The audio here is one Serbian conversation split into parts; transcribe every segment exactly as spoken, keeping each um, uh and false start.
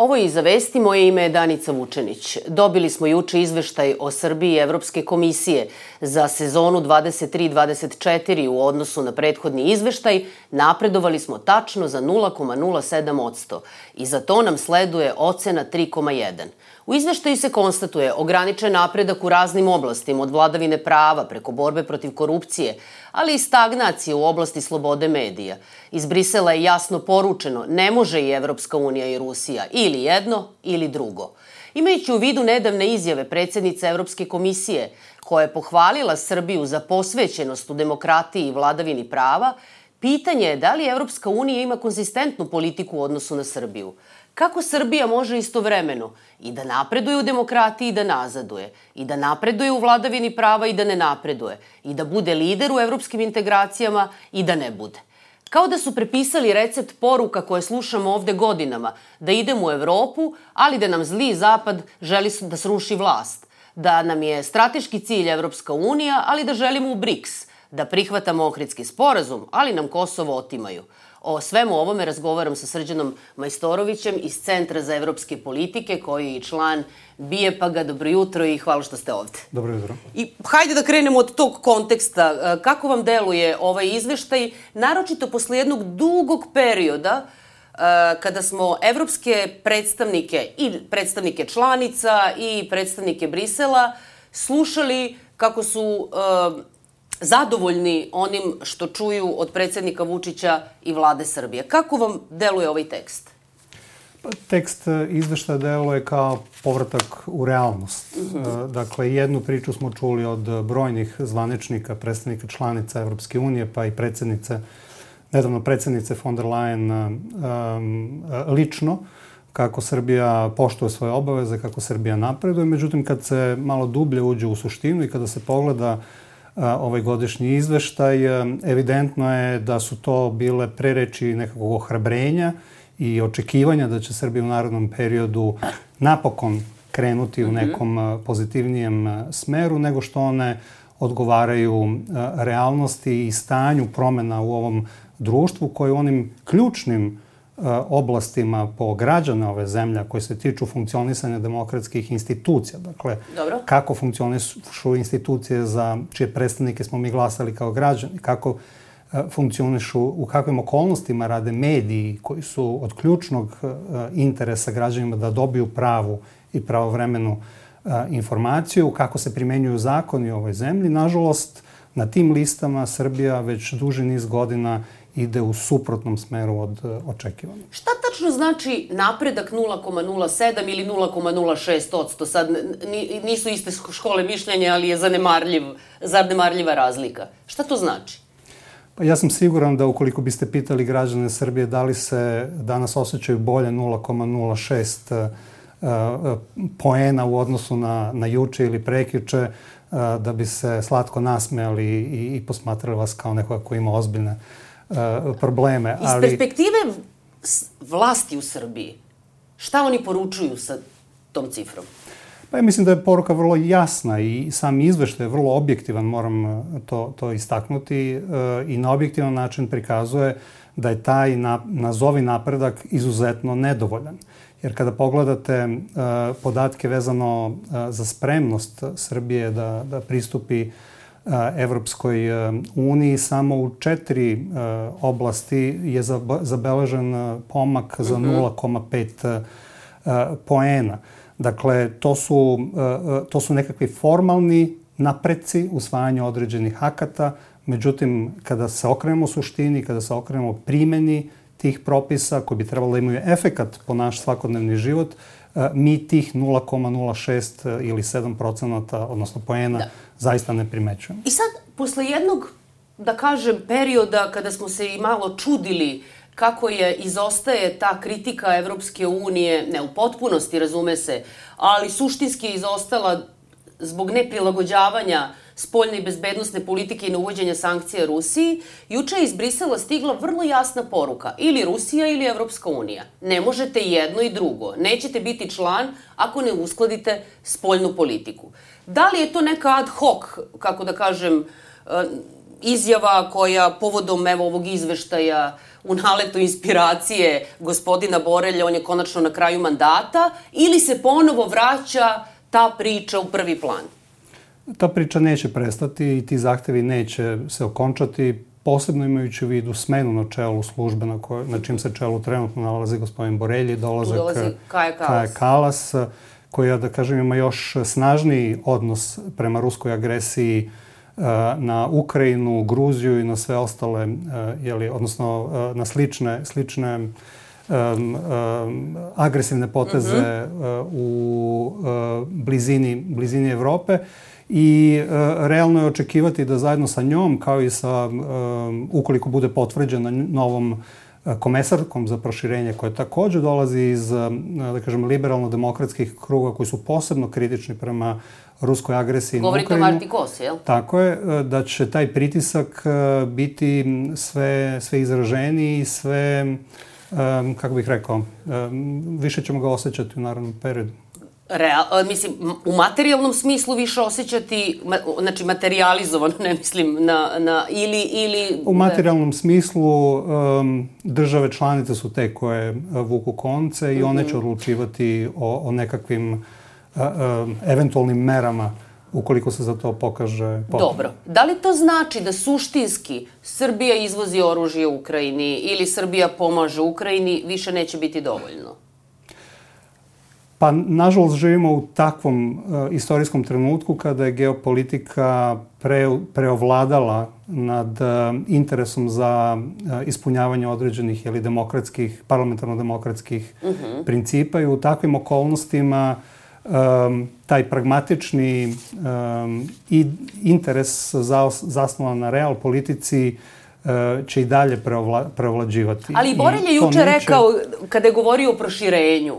Ovo je Iza vesti, moje ime je Danica Vučenić. Dobili smo juče izveštaj o Srbiji Evropske komisije za sezonu dvadeset tri dvadeset četiri u odnosu na prethodni izveštaj. Napredovali smo tačno za nula zarez nula sedam posto i za to nam sleduje ocena tri zarez jedan. U izveštaju se konstatuje ograničen napredak u raznim oblastima, od vladavine prava preko borbe protiv korupcije, ali i stagnacije u oblasti slobode medija. Iz Brisela je jasno poručeno, ne može i Evropska unija i Rusija, ili jedno ili drugo. Imajući u vidu nedavne izjave predsjednice Evropske komisije, koja je pohvalila Srbiju za posvećenost u demokratiji i vladavini prava, pitanje je da li Evropska unija ima konzistentnu politiku u odnosu na Srbiju. Kako Srbija može istovremeno i da napreduje u demokratiji i da nazaduje, i da napreduje u vladavini prava i da ne napreduje, i da bude lider u evropskim integracijama i da ne bude. Kao da su prepisali recept poruka koje slušamo ovde godinama, da idemo u Evropu, ali da nam zli zapad želi da sruši vlast, da nam je strateški cilj Evropska unija, ali da želimo u BRIKS, da prihvatamo Ohridski sporazum, ali nam Kosovo otimaju. O svemu ovome razgovaram sa Srđanom Majstorovićem iz Centra za evropske politike, koji je i član BIEPAG-a. Dobro jutro i hvala što ste ovde. Dobro jutro. I hajde da krenemo od tog konteksta. Kako vam deluje ovaj izveštaj, naročito posle jednog dugog perioda kada smo evropske predstavnike i predstavnike članica i predstavnike Brisela slušali kako su zadovoljni onim što čuju od predsjednika Vučića i vlade Srbije. Kako vam deluje ovaj tekst? Tekst izveštaja deluje kao povratak u realnost. Uh-huh. Dakle, jednu priču smo čuli od brojnih zvaničnika, predstavnika članica Evropske unije, pa i predsjednice, nedavno predsjednice von der Leyen um, lično, kako Srbija poštuje svoje obaveze, kako Srbija napreduje. Međutim, kad se malo dublje uđe u suštinu i kada se pogleda ovaj godišnji izveštaj, evidentno je da su to bile prereči nekakvog ohrabrenja i očekivanja da će Srbija u narednom periodu napokon krenuti u nekom pozitivnijem smeru, nego što one odgovaraju realnosti i stanju promjena u ovom društvu, koje u onim ključnim oblastima po građana ove zemlje koje se tiču funkcionisanja demokratskih institucija. Dakle, Dobro. Kako funkcionišu institucije za čije predstavnike smo mi glasali kao građani, kako funkcionišu, u kakvim okolnostima rade mediji koji su od ključnog interesa građanima da dobiju pravu i pravovremenu informaciju, kako se primenjuju zakoni u ovoj zemlji. Nažalost, na tim listama Srbija već duži niz godina ide u suprotnom smeru od očekivanja. Šta tačno znači napredak nula zarez nula sedam ili nula zarez nula šest posto? Sad nisu iste škole mišljenja, ali je zanemarljiv, zanemarljiva razlika. Šta to znači? Pa ja sam siguran da ukoliko biste pitali građane Srbije da li se danas osjećaju bolje nula zarez nula šest poena u odnosu na, na juče ili prekjuče, da bi se slatko nasmejali i, i posmatrali vas kao nekoga koji ima ozbiljne probleme. Iz ali... perspektive vlasti u Srbiji, šta oni poručuju sa tom cifrom? Pa ja mislim da je poruka vrlo jasna i sam izveštaj je vrlo objektivan, moram to, to istaknuti, i na objektivan način prikazuje da je taj na, nazovi napredak izuzetno nedovoljan. Jer kada pogledate uh, podatke vezano uh, za spremnost Srbije da, da pristupi uh, Evropskoj uh, uniji, samo u četiri uh, oblasti je zabeležen uh, pomak za nula zarez pet uh, poena. Dakle, to su, uh, to su nekakvi formalni napreci usvajanja određenih akata. Međutim, kada se okrenemo suštini, kada se okrenemo primjeni tih propisa koji bi trebalo da imaju efekat po naš svakodnevni život, mi tih nula zarez nula šest ili sedam procenata, odnosno poena, da. zaista ne primećujemo. I sad, posle jednog, da kažem, perioda kada smo se i malo čudili kako je izostaje ta kritika Evropske unije, ne u potpunosti, razume se, ali suštinski je izostala zbog neprilagođavanja spoljne i bezbednosne politike i na uvođenja sankcija Rusiji, juče je iz Brisela stigla vrlo jasna poruka. Ili Rusija ili Evropska unija. Ne možete jedno i drugo. Nećete biti član ako ne uskladite spoljnu politiku. Da li je to neka ad hoc, kako da kažem, izjava koja povodom evo ovog izveštaja u naletu inspiracije gospodina Borelja, on je konačno na kraju mandata, ili se ponovo vraća ta priča u prvi plan? Ta priča neće prestati i ti zahtevi neće se okončati, posebno imajući u vidu smenu na čelu službe na, koj, na čim se čelu trenutno nalazi gospodin Borelji, dolazak dolazi Kaja Kalas. Kaja Kalas, koja, da kažem, ima još snažniji odnos prema ruskoj agresiji na Ukrajinu, Gruziju i na sve ostale, jeli, odnosno na slične, slične um, um, agresivne poteze uh-huh. u uh, blizini, blizini Evrope. I uh, realno je očekivati da zajedno sa njom, kao i sa, um, ukoliko bude potvrđena novom uh, komesarkom za proširenje, koja takođe dolazi iz, uh, da kažem, liberalno-demokratskih kruga koji su posebno kritični prema ruskoj agresiji na Ukrajinu. Govorite o Marti Kosi, jel? Tako je, da će taj pritisak biti sve, sve izraženiji i sve, um, kako bih rekao, um, više ćemo ga osjećati u narednom periodu. Real, mislim, u materijalnom smislu više osjećati, znači materializovano, ne mislim, na, na, ili, ili... U materijalnom smislu um, države članice su te koje vuku konce i mm-hmm. one će odlučivati o, o nekakvim uh, um, eventualnim merama ukoliko se za to pokaže potrebno. Dobro. Da li to znači da suštinski Srbija izvozi oružje u Ukrajini ili Srbija pomaže Ukrajini, više neće biti dovoljno? Pa, nažalost, živimo u takvom uh, istorijskom trenutku kada je geopolitika pre, preovladala nad uh, interesom za uh, ispunjavanje određenih ili demokratskih, parlamentarno-demokratskih uh-huh. principa i u takvim okolnostima um, taj pragmatični um, i interes za, zasnovan na real politici će i dalje preovla, preovlađivati. Ali Borelj je juče neće... rekao, kada je govorio o proširenju,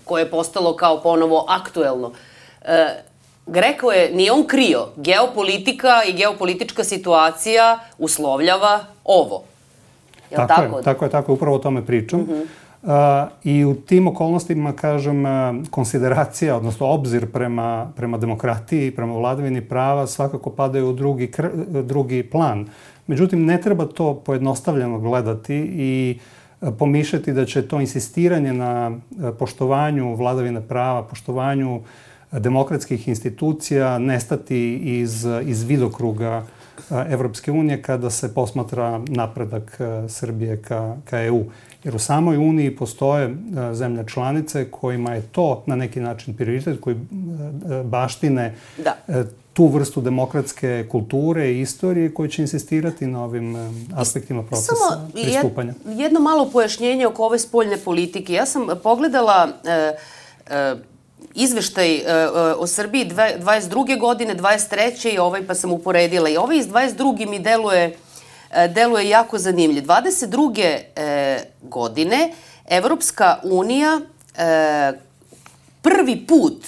koje je postalo kao ponovo aktuelno, rekao je, nije on krio, geopolitika i geopolitička situacija uslovljava ovo. Je li tako? Tako je, tako je, tako je, upravo o tome pričam. Uh-huh. Uh, I u tim okolnostima, kažem, konsideracija, odnosno obzir prema, prema demokratiji, prema vladavini prava svakako padaju u drugi, drugi plan. Međutim, ne treba to pojednostavljeno gledati i pomišljati da će to insistiranje na poštovanju vladavine prava, poštovanju demokratskih institucija nestati iz, iz vidokruga Evropske unije kada se posmatra napredak Srbije ka, ka E U. Jer u samoj Uniji postoje zemlje članice kojima je to na neki način prioritet, koji baštine da. tu vrstu demokratske kulture i istorije koji će insistirati na ovim aspektima procesa Samo pristupanja. Samo jedno malo pojašnjenje oko ove spoljne politike. Ja sam pogledala e, e, izveštaj e, o Srbiji dvadeset druge godine, dvadeset treće i ovaj pa sam uporedila. I ovaj iz dvadeset druge mi deluje deluje jako zanimljiv. dvadeset druge E, godine Evropska unija e, prvi put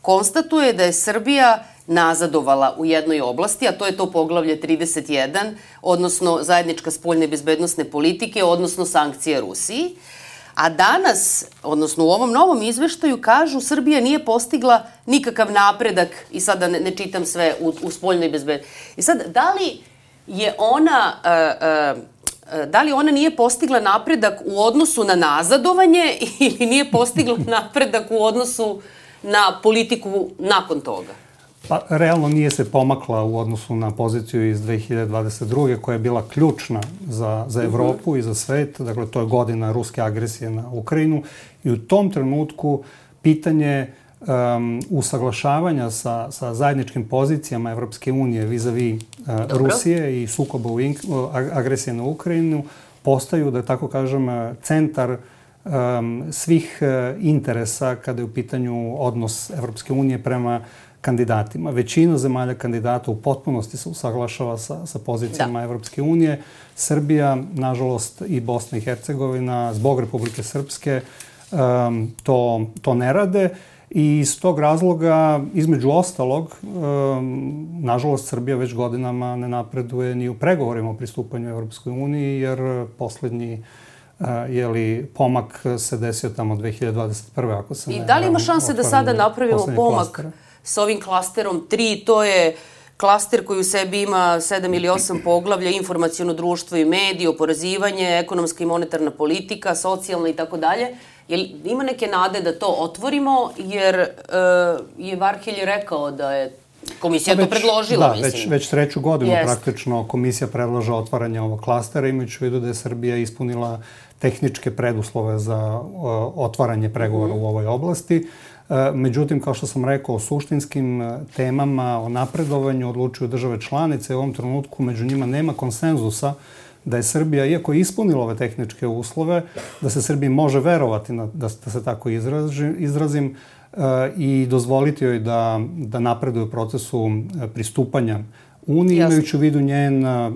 konstatuje da je Srbija nazadovala u jednoj oblasti, a to je to poglavlje trideset jedan, odnosno zajednička spoljne bezbednosne politike, odnosno sankcije Rusiji. A danas, odnosno u ovom novom izveštaju, kažu Srbija nije postigla nikakav napredak, i sada ne, ne čitam sve, u, u spoljnoj bezbednosti. I sad, da li je ona, uh, uh, da li ona nije postigla napredak u odnosu na nazadovanje ili nije postigla napredak u odnosu na politiku nakon toga? Pa, realno nije se pomakla u odnosu na poziciju iz dve hiljade dvadeset druge koja je bila ključna za, za Evropu uh-huh. i za svet. Dakle, to je godina ruske agresije na Ukrajinu i u tom trenutku pitanje Um, usaglašavanja sa, sa zajedničkim pozicijama Evropske unije vis-a-vis uh, Rusije i sukoba u ink, uh, agresije na Ukrajinu postaju, da tako kažem, centar um, svih uh, interesa kada je u pitanju odnos Evropske unije prema kandidatima. Većina zemalja kandidata u potpunosti se usaglašava sa, sa pozicijama da. Evropske unije. Srbija, nažalost, i Bosna i Hercegovina, zbog Republike Srpske, um, to, to ne rade. I iz tog razloga, između ostalog, um, nažalost, Srbija već godinama ne napreduje ni u pregovorima o pristupanju Evropskoj uniji, jer poslednji uh, jeli, pomak se desio tamo dve hiljade dvadeset prve ako se ne... I da li ima šanse da sada napravimo pomak klastera? S ovim klasterom tri? To je klaster koji u sebi ima sedam ili osam poglavlja, informaciono društvo i mediji, oporezivanje, ekonomska i monetarna politika, socijalna i tako dalje. Jel ima neke nade da to otvorimo, jer e, je Varhelj rekao da je komisija već, to predložila, da, mislim. Već, već treću godinu Jest. praktično komisija predlaže otvaranje ovog klastera, imajući u vidu da je Srbija ispunila tehničke preduslove za o, otvaranje pregovora mm-hmm. u ovoj oblasti. E, međutim, kao što sam rekao, o suštinskim temama, o napredovanju odlučuju države članice. U ovom trenutku među njima nema konsenzusa da je Srbija, iako je ispunila ove tehničke uslove, da se Srbiji može verovati, na, da, da se tako izraži, izrazim, e, i dozvoliti joj da, da napreduje u procesu pristupanja Uniji, imajući u vidu njen uh,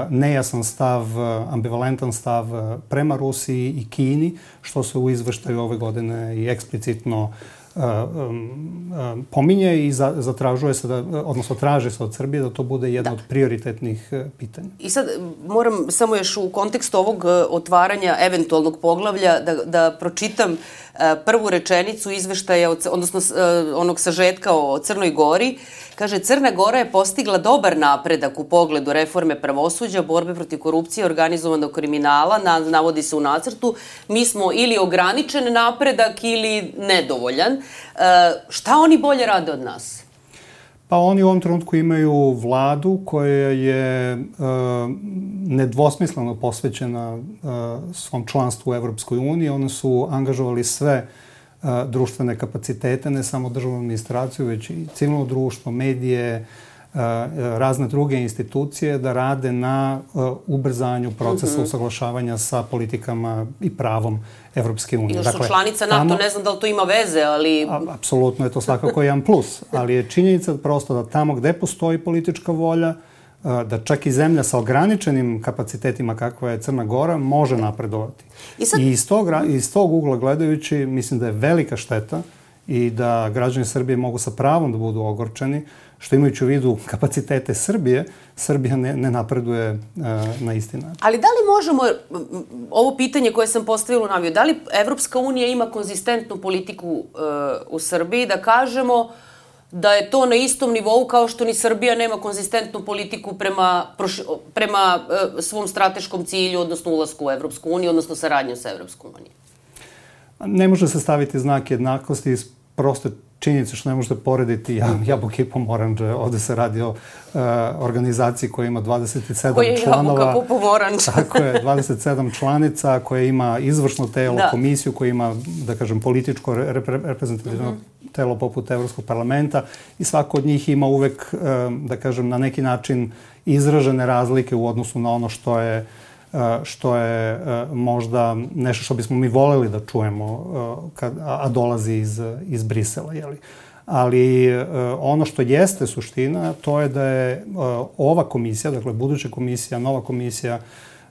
nejasan stav, uh, ambivalentan stav uh, prema Rusiji i Kini, što se u izveštaju ove godine i eksplicitno uh, um, uh, pominje i za, zatražuje se, da, odnosno traži se od Srbije da to bude jedno da. od prioritetnih uh, pitanja. I sad moram samo još u kontekstu ovog uh, otvaranja eventualnog poglavlja da, da pročitam uh, prvu rečenicu izveštaja, odnosno uh, onog sažetka o Crnoj Gori. Kaže, Crna Gora je postigla dobar napredak u pogledu reforme pravosuđa, borbe protiv korupcije, organizovanog kriminala, na, navodi se u nacrtu. Mi smo ili ograničen napredak ili nedovoljan. E, šta oni bolje rade od nas? Pa oni u ovom trenutku imaju vladu koja je e, nedvosmisleno posvećena e, svom članstvu u Evropskoj uniji. Oni su angažovali sve društvene kapacitete, ne samo državnu administraciju, već i civilno društvo, medije, razne druge institucije da rade na ubrzanju procesa mm-hmm. usaglašavanja sa politikama i pravom Evropske unije. Ili su dakle, članica NATO, tamo, ne znam da li to ima veze, ali... A, apsolutno je to svakako jedan plus, ali je činjenica prosto da tamo gde postoji politička volja, da čak i zemlja sa ograničenim kapacitetima kakva je Crna Gora može napredovati. I, sad... I iz, tog, iz tog ugla gledajući, mislim da je velika šteta i da građani Srbije mogu sa pravom da budu ogorčeni, što imajući u vidu kapacitete Srbije, Srbija ne, ne napreduje uh, na isti način. Ali da li možemo, ovo pitanje koje sam postavila u naviju, da li Evropska unija ima konzistentnu politiku uh, u Srbiji, da kažemo da je to na istom nivou kao što ni Srbija nema konzistentnu politiku prema, prema uh, svom strateškom cilju, odnosno ulasku u Evropsku uniju, odnosno saradnju sa Evropskom unijom? Ne može se staviti znak jednakosti iz proste činjenice što ne možete porediti jabuke i pomoranđe. Ovde se radi o uh, organizaciji koja ima dvadeset sedam koje članova. Koje je jabuka po pomoranđe. Tako je, dvadeset sedam članica, koja ima izvršno telo, da. komisiju, koja ima, da kažem, političko repre, reprezentativno mm-hmm. telo poput Evropskog parlamenta i svako od njih ima uvek, um, da kažem, na neki način izražene razlike u odnosu na ono što je što je možda nešto što bismo mi voleli da čujemo, kad, a dolazi iz, iz Brisela. Jeli? Ali ono što jeste suština, to je da je ova komisija, dakle buduća komisija, nova komisija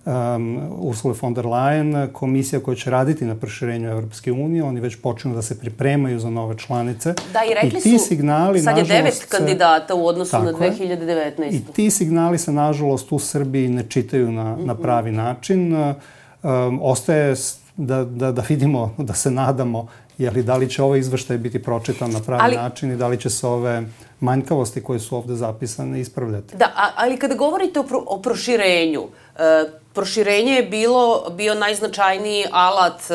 um, Ursula von der Leyen, komisija koja će raditi na proširenju Evropske unije, oni već počinu da se pripremaju za nove članice. Da, i rekli I ti su, signali, sad je devet kandidata u odnosu na dve hiljade devetnaestu. I ti signali se, nažalost, u Srbiji ne čitaju na, mm-hmm. na pravi način. Um, ostaje da, da, da vidimo, da se nadamo, jeli, da li će ovaj izveštaj biti pročitan na pravi ali, način i da li će se ove manjkavosti koje su ovde zapisane ispravljati. Da, a, ali kada govorite o, pro, o proširenju, e, proširenje je bilo, bio najznačajniji alat e,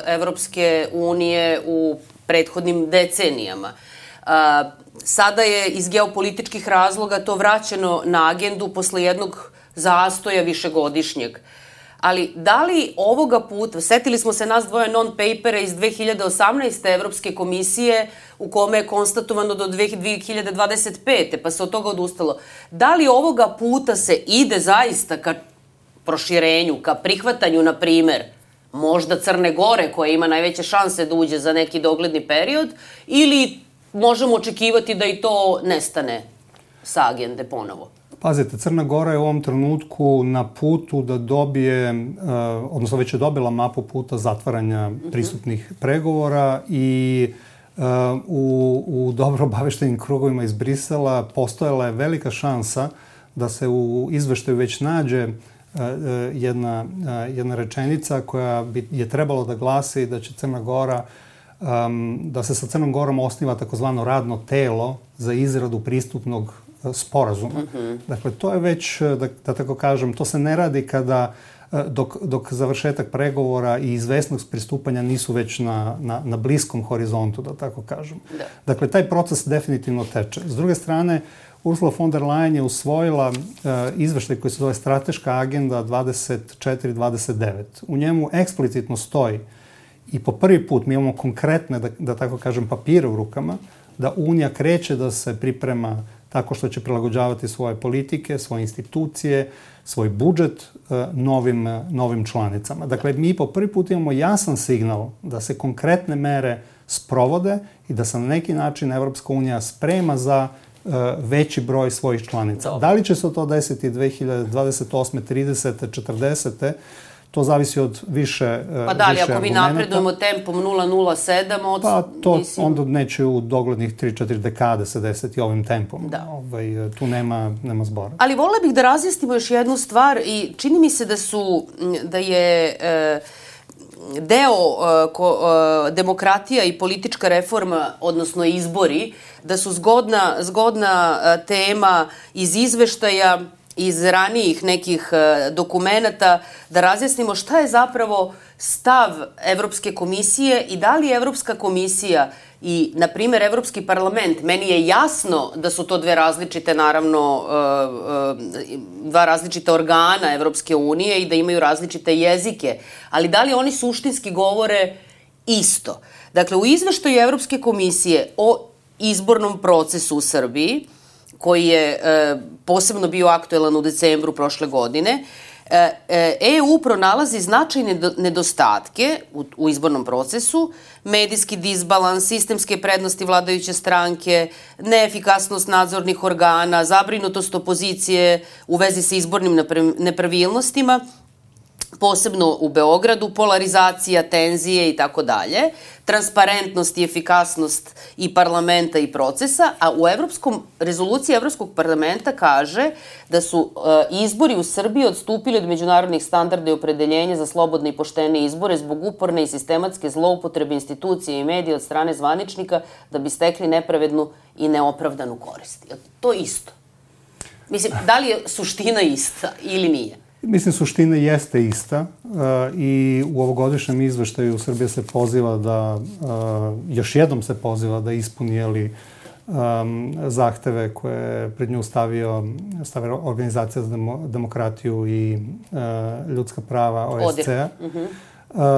Evropske unije u prethodnim decenijama. E, sada je iz geopolitičkih razloga to vraćeno na agendu posle jednog zastoja višegodišnjeg. Ali da li ovoga puta, setili smo se nas dvoje non-papera iz dve hiljade osamnaeste. Evropske komisije u kome je konstatovano do dve hiljade dvadeset pete. pa se od toga odustalo. Da li ovoga puta se ide zaista ka proširenju, ka prihvatanju, na primer, možda Crne Gore, koja ima najveće šanse da uđe za neki dogledni period, ili možemo očekivati da i to nestane sa agende ponovo? Pazite, Crna Gora je u ovom trenutku na putu da dobije, uh, odnosno već je dobila mapu puta zatvaranja pristupnih mm-hmm. pregovora i uh, u, u dobro obaveštenim krugovima iz Brisela postojala je velika šansa da se u izveštaju već nađe uh, jedna, uh, jedna rečenica koja bi je trebalo da glasi da će Crna Gora, um, da se sa Crnom Gorom osniva takozvano radno telo za izradu pristupnog sporazuma. Mm-hmm. Dakle, to je već, da, da tako kažem, to se ne radi kada Dok, dok završetak pregovora i izvesnost pristupanja nisu već na, na, na bliskom horizontu, da tako kažem. Da. Dakle, taj proces definitivno teče. S druge strane, Ursula von der Leyen je usvojila uh, izveštaj koji se zove Strateška agenda dvadeset četiri dvadeset devet. U njemu eksplicitno stoji i po prvi put mi imamo konkretne, da, da tako kažem, papire u rukama, da Unija kreće da se priprema tako što će prilagođavati svoje politike, svoje institucije, svoj budžet novim, novim članicama. Dakle, mi po prvi put imamo jasan signal da se konkretne mere sprovode i da se na neki način Evropska unija sprema za uh, veći broj svojih članica. Dobre. Da li će se to desiti dve hiljade dvadeset osme, tridesete, četrdesete To zavisi od više argumenta. Pa da li, ako mi napredujemo tempom nula nula sedam, od... Pa to mislim... onda neće u doglednih tri četiri dekade se desiti ovim tempom. Da. Ovaj, tu nema, nema zbora. Ali volela bih da razjasnimo još jednu stvar i čini mi se da su, da je e, deo e, ko, e, demokratija i politička reforma, odnosno izbori, da su zgodna, zgodna e, tema iz izveštaja, iz ranijih nekih dokumenata, da razjasnimo šta je zapravo stav Evropske komisije i da li Evropska komisija i, na primjer, Evropski parlament, meni je jasno da su to dve različite, naravno, dva različita organa Evropske unije i da imaju različite jezike, ali da li oni suštinski govore isto? Dakle, u izveštaju Evropske komisije o izbornom procesu u Srbiji, koji je e, posebno bio aktuelan u decembru prošle godine, e, E U pronalazi značajne nedostatke u, u izbornom procesu, medijski disbalans, sistemske prednosti vladajuće stranke, neefikasnost nadzornih organa, zabrinutost opozicije u vezi sa izbornim nepravilnostima, posebno u Beogradu, polarizacija, tenzije i tako dalje, transparentnost i efikasnost i parlamenta i procesa, a u Evropskom, rezoluciji Evropskog parlamenta kaže da su uh, izbori u Srbiji odstupili od međunarodnih standarda i opredeljenja za slobodne i poštene izbore zbog uporne i sistematske zloupotrebe institucije i medija od strane zvaničnika da bi stekli nepravednu i neopravdanu korist. Je to isto? Mislim, da li je suština ista ili nije? Mislim, suština jeste ista uh, i u ovogodišnjem izveštaju Srbija se poziva da, uh, još jednom se poziva da ispuni jeli, um, zahteve koje je pred nju stavio, stavio Organizacija za demo, demokratiju i uh, ljudska prava O S C-a. Uh-huh.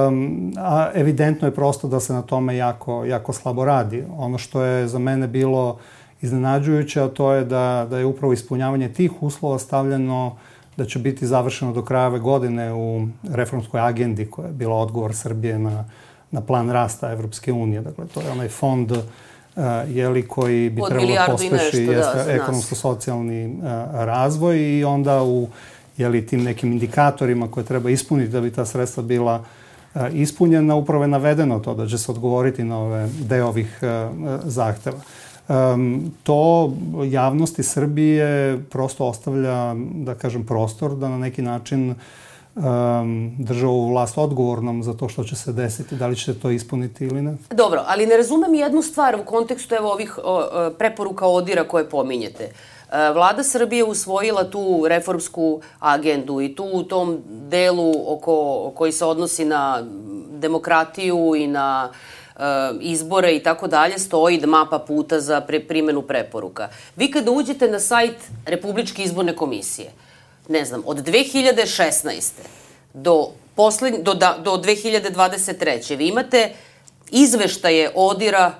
Um, a evidentno je prosto da se na tome jako, jako slabo radi. Ono što je za mene bilo iznenađujuće, a to je da, da je upravo ispunjavanje tih uslova stavljeno da će biti završeno do kraja ove godine u reformskoj agendi koja je bila odgovor Srbije na, na plan rasta Evropske unije. Dakle, to je onaj fond uh, jeli, koji bi trebalo pospeši da, ekonomsko-socijalni uh, razvoj i onda u jeli, tim nekim indikatorima koje treba ispuniti da bi ta sredstva bila uh, ispunjena, upravo je navedeno to da će se odgovoriti na ove deo ovih uh, zahteva. Um, to javnosti Srbije prosto ostavlja, da kažem, prostor da na neki način um, drže ovu vlast odgovornom za to što će se desiti. Da li će to ispuniti ili ne? Dobro, ali ne razumem jednu stvar u kontekstu evo ovih o, o, preporuka ODIR-a koje pominjete. Vlada Srbije usvojila tu reformsku agendu i tu u tom delu oko, koji se odnosi na demokratiju i na izbore i tako dalje, stoji mapa puta za pre, primjenu preporuka. Vi kada uđete na sajt Republičke izborne komisije, ne znam, od dve hiljade šesnaeste do, poslednj, do, do dve hiljade dvadeset treće vi imate izveštaje ODIR-a,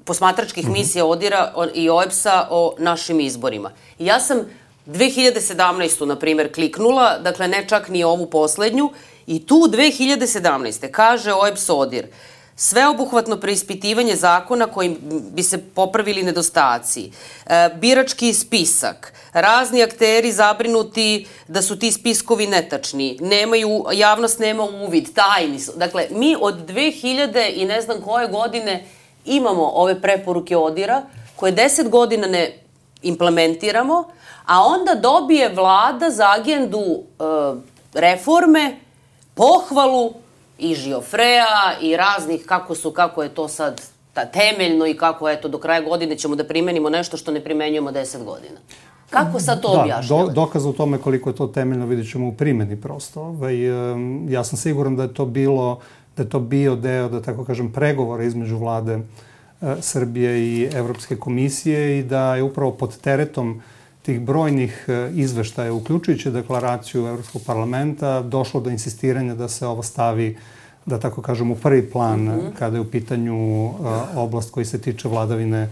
posmatračkih mm-hmm. misija ODIR-a i O E B S-a o našim izborima. I ja sam dve hiljade sedamnaestu na primjer, kliknula, dakle ne čak ni ovu poslednju, i tu dve hiljade sedamnaeste kaže O E B S ODIR, sveobuhvatno preispitivanje zakona kojim bi se popravili nedostaci, e, birački spisak, razni akteri zabrinuti da su ti spiskovi netačni, nemaju, javnost nema uvid, tajni su. Dakle, mi od dve hiljade i ne znam koje godine imamo ove preporuke ODIR-a koje deset godina ne implementiramo, a onda dobije vlada za agendu e, reforme pohvalu i Žiofreja i raznih kako su, kako je to sad ta, temeljno i kako eto do kraja godine ćemo da primenimo nešto što ne primenjujemo deset godina. Kako sad to objašnjavate? Da, dokaz o tome koliko je to temeljno vidjet ćemo u primjeni prosto. Ovaj, ja sam siguran da je to bilo, da je to bio deo, da tako kažem, pregovora između vlade Srbije i Evropske komisije i da je upravo pod teretom tih brojnih izveštaja, uključujući deklaraciju Evropskog parlamenta, došlo do insistiranja da se ovo stavi, da tako kažem, u prvi plan mm-hmm. kada je u pitanju uh, oblast koji se tiče vladavine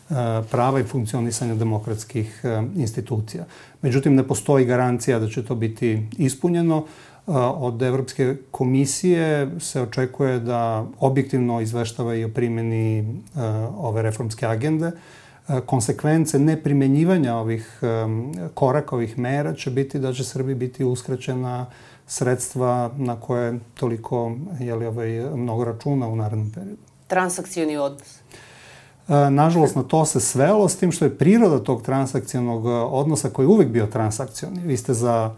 uh, prava i funkcionisanja demokratskih uh, institucija. Međutim, ne postoji garancija da će to biti ispunjeno. Uh, od Evropske komisije se očekuje da objektivno izveštava i o primjeni uh, ove reformske agende. Uh, konsekvence neprimenjivanja ovih um, koraka, ovih mera će biti da će Srbiji biti uskraćena sredstva na koje toliko jeli, ovaj, mnogo računa u narednom periodu. Transakcioni odnos? E, nažalost, na to se svelo, s tim što je priroda tog transakcionog odnosa koji je uvek bio transakcioni. Vi ste za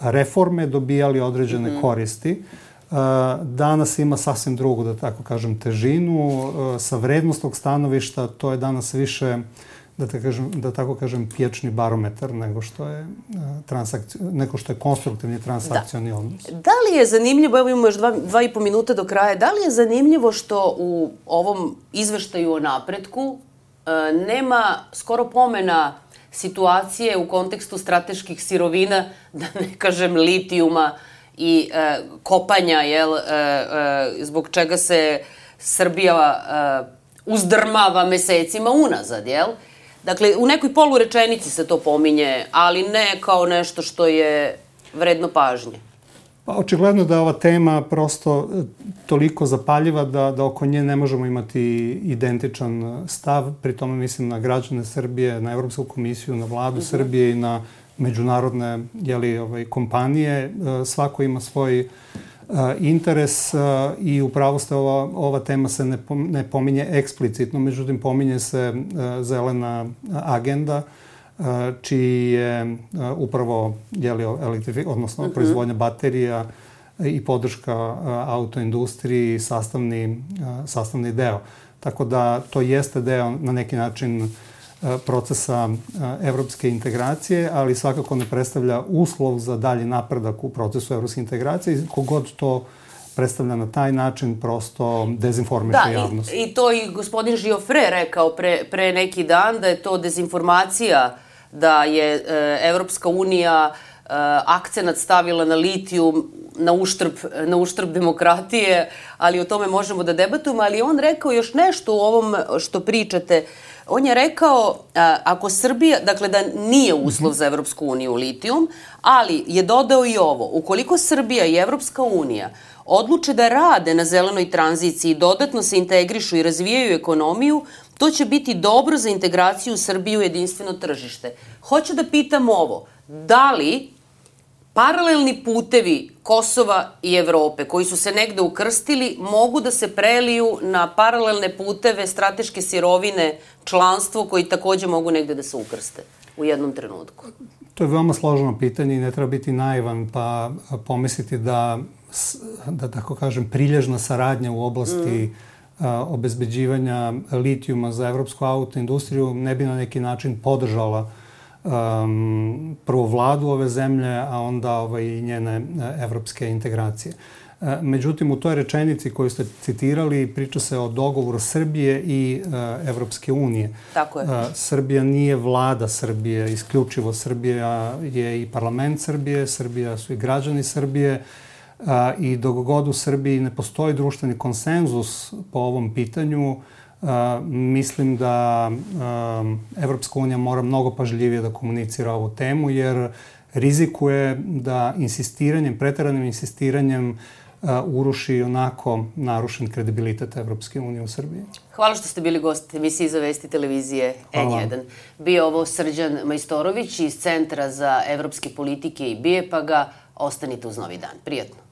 reforme dobijali određene mm-hmm. koristi. E, danas ima sasvim drugu, da tako kažem, težinu. E, sa vrednostnog stanovišta to je danas više, da, ta kažem, da tako kažem, pječni barometar nego što je, transakci... nego što je konstruktivni transakcioni da. odnos. Da li je zanimljivo, evo imamo još dva, dva i po minuta do kraja, da li je zanimljivo što u ovom izveštaju o napretku e, nema skoro pomena situacije u kontekstu strateških sirovina, da ne kažem litijuma i e, kopanja, jel, e, e, zbog čega se Srbija e, uzdrmava mesecima unazad, jel? Dakle, u nekoj polurečenici se to pominje, ali ne kao nešto što je vredno pažnje. Pa, očigledno da je ova tema prosto toliko zapaljiva da, da oko nje ne možemo imati identičan stav. Pri tome mislim na građane Srbije, na Evropsku komisiju, na vladu uh-huh. Srbije i na međunarodne jeli, ovaj, kompanije. Svako ima svoj Uh, interes uh, i upravo ste ova, ova tema se ne, pom, ne pominje eksplicitno, međutim pominje se uh, zelena agenda uh, čiji je uh, upravo jeli, elektrifik, odnosno uh-huh. proizvodnja baterija i podrška uh, autoindustriji sastavni, uh, sastavni deo. Tako da to jeste deo na neki način procesa evropske integracije, ali svakako ne predstavlja uslov za dalji napredak u procesu evropske integracije. Kogod to predstavlja na taj način, prosto dezinformiše da, javnost. Da, i, i to i gospodin Žiofre rekao pre, pre neki dan, da je to dezinformacija, da je e, Evropska unija e, akcenat stavila na litijum, na uštrb, na uštrb demokratije, ali o tome možemo da debatujemo, ali on rekao još nešto u ovom što pričate. On je rekao, a, ako Srbija, dakle da nije uslov za Evropsku uniju litijum, ali je dodao i ovo, ukoliko Srbija i Evropska unija odluče da rade na zelenoj tranziciji i dodatno se integrišu i razvijaju ekonomiju, to će biti dobro za integraciju Srbije u jedinstveno tržište. Hoću da pitam ovo, da li paralelni putevi Kosova i Evrope, koji su se negde ukrstili, mogu da se preliju na paralelne puteve, strateške sirovine, članstvo, koji takođe mogu negde da se ukrste u jednom trenutku? To je veoma složeno pitanje i ne treba biti naivan pa pomisliti da, da tako kažem, prilježna saradnja u oblasti mm. a, obezbeđivanja litijuma za evropsku autoindustriju ne bi na neki način podržala Um, prvo vladu ove zemlje, a onda ovaj, i njene evropske integracije. Uh, međutim, u toj rečenici koju ste citirali priča se o dogovoru Srbije i uh, Evropske unije. Tako je. Uh, Srbija nije vlada Srbije, isključivo Srbija je i parlament Srbije, Srbija su i građani Srbije uh, i dok god u Srbiji ne postoji društveni konsenzus po ovom pitanju, Uh, mislim da uh, Evropska unija mora mnogo pažljivije da komunicira ovu temu, jer rizikuje da insistiranjem, preteranim insistiranjem uh, uruši onako narušen kredibilitet Evropske unije u Srbiji. Hvala što ste bili gost emisiji za Vesti televizije N jedan. Bio ovo Srđan Majstorović iz Centra za evropske politike i B I E P A G-a. Ostanite uz Novi dan. Prijatno.